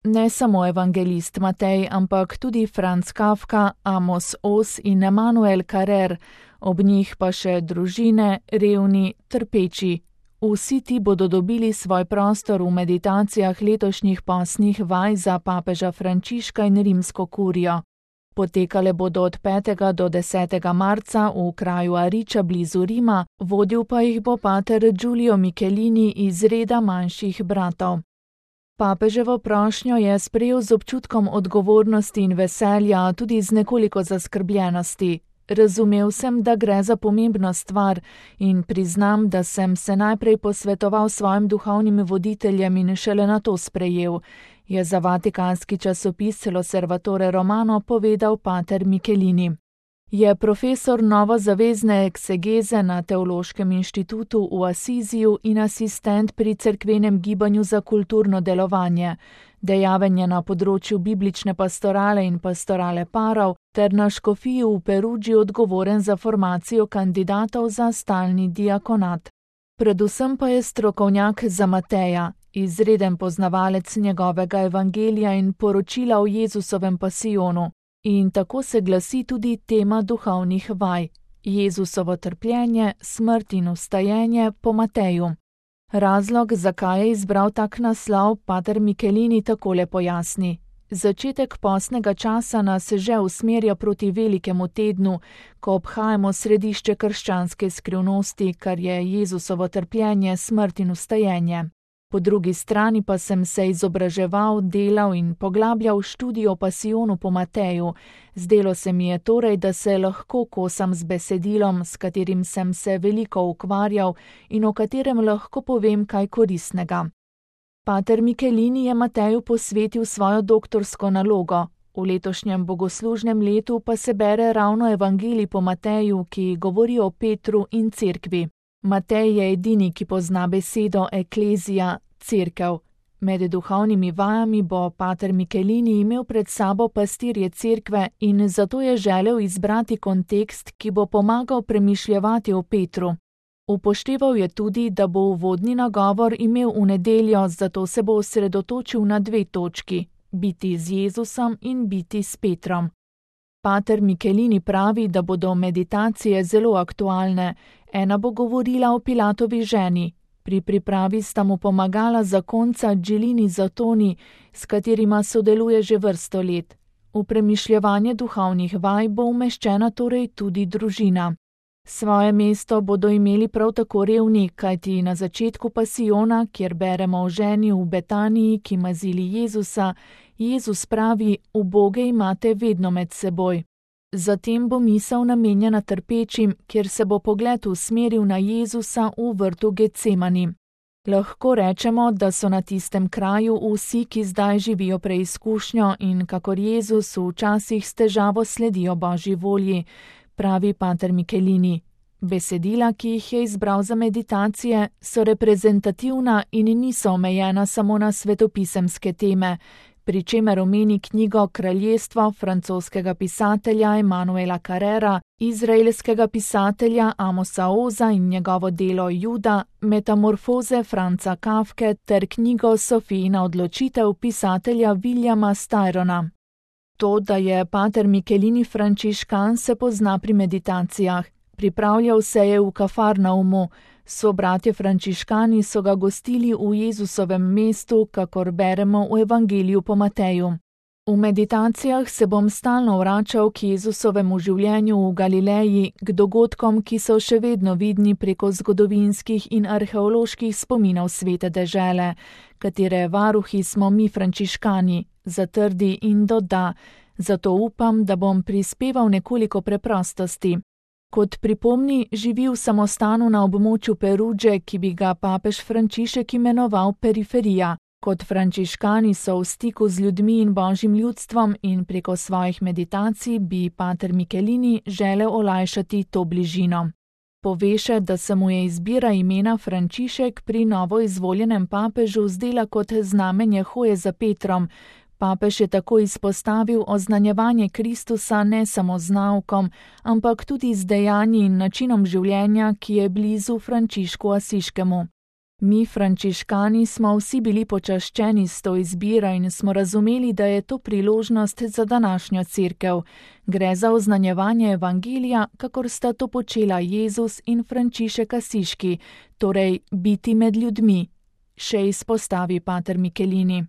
Ne samo evangelist Matej, ampak tudi Franz Kafka, Amos Oz in Emanuel Carrer, ob njih pa še družine, revni, trpeči. Vsi ti bodo dobili svoj prostor v meditacijah letošnjih postnih vaj za papeža Frančiška in rimsko kurijo. Potekale bodo od 5. do 10. marca v kraju Ariča blizu Rima, vodil pa jih bo pater Giulio Michelini iz reda manjših bratov. Papeževo prošnjo je sprejel z občutkom odgovornosti in veselja, tudi z nekoliko zaskrbljenosti. Razumel sem, da gre za pomembno stvar in priznam, da sem se najprej posvetoval svojim duhovnim voditeljem in šele nato sprejel, je za vatikanski časopis L'Osservatore Romano povedal pater Michelini. Je profesor novozavezne eksegeze na Teološkem inštitutu v Asiziju in asistent pri Cerkvenem gibanju za kulturno delovanje. Dejaven je na področju biblične pastorale in pastorale parov ter na škofiji v Perugii odgovoren za formacijo kandidatov za stalni diakonat. Predvsem pa je strokovnjak za Mateja, izreden poznavalec njegovega evangelija in poročila o Jezusovem pasijonu. In tako se glasi tudi tema duhovnih vaj, Jezusovo trpljenje, smrt in vstajenje po Mateju. Razlog, zakaj je izbral tak naslov, pater Michelini takole pojasni. Začetek postnega časa nas že usmerja proti velikemu tednu, ko obhajamo središče krščanske skrivnosti, kar je Jezusovo trpljenje, smrt in vstajenje. Po drugi strani pa sem se izobraževal, delal in poglabljal študijo o pasijonu po Mateju. Zdelo se mi je torej, da se lahko kosam z besedilom, s katerim sem se veliko ukvarjal in o katerem lahko povem kaj koristnega. Pater Michelini je Mateju posvetil svojo doktorsko nalogo. V letošnjem bogoslužnem letu pa se bere ravno evangelij po Mateju, ki govori o Petru in cerkvi. Matej je edini, ki pozna besedo eklezija, cerkev. Med duhovnimi vajami bo pater Michelini imel pred sabo pastirje cerkve in zato je želel izbrati kontekst, ki bo pomagal premišljevati o Petru. Upošteval je tudi, da bo uvodni nagovor imel v nedeljo, zato se bo osredotočil na 2 točki: biti z Jezusom in biti s Petrom. Pater Michelini pravi, da bodo meditacije zelo aktualne. Ena bo govorila o Pilatovi ženi. Pri pripravi sta mu pomagala zakonca Džilini Zatoni, s katerima sodeluje že vrsto let. V premišljevanje duhovnih vaj bo umeščena torej tudi družina. Svoje mesto bodo imeli prav tako revni, kajti na začetku pasijona, kjer beremo o ženi v Betaniji, ki mazili Jezusa, Jezus pravi: uboge imate vedno med seboj. Zatem bo misel namenjena trpečim, kjer se bo pogled usmeril na Jezusa v vrtu Getsemani. Lahko rečemo, da so na tistem kraju vsi, ki zdaj živijo preizkušnjo in kakor Jezus včasih s težavo sledijo Božji volji, pravi pater Michelini. Besedila, ki jih je izbral za meditacije, so reprezentativna in niso omejena samo na svetopisemske teme, pri čemer omeni knjigo Kraljestvo francoskega pisatelja Emanuela Carrera, izraelskega pisatelja Amosa Oza in njegovo delo Juda, Metamorfoze Franca Kafke ter knjigo Sofijina odločitev pisatelja Williama Styrona. To, da je pater Michelini frančiškan, se pozna pri meditacijah. Pripravljal se je v Kafarnaumu. Sobratje frančiškani so ga gostili v Jezusovem mestu, kakor beremo v evangeliju po Mateju. V meditacijah se bom stalno vračal k Jezusovemu življenju v Galileji, k dogodkom, ki so še vedno vidni preko zgodovinskih in arheoloških spominov svete dežele, katere varuhi smo mi frančiškani, zatrdi in doda. Zato upam, da bom prispeval nekoliko preprostosti. Kot pripomni, živi v samostanu na območju Peruge, ki bi ga papež Frančišek imenoval periferija. Kot frančiškani so v stiku z ljudmi in božjim ljudstvom in preko svojih meditacij bi pater Michelini želel olajšati to bližino. Pove še, da se mu je izbira imena Frančišek pri novo izvoljenem papežu zdela kot znamenje hoje za Petrom. Papež je tako izpostavil oznanjevanje Kristusa ne samo z naukom, ampak tudi z dejanji in načinom življenja, ki je blizu Frančišku Asiškemu. Mi, frančiškani, smo vsi bili počaščeni s to izbiro in smo razumeli, da je to priložnost za današnjo cerkev. Gre za oznanjevanje evangelija, kakor sta to počela Jezus in Frančišek Asiški, torej biti med ljudmi, še izpostavi pater Michelini.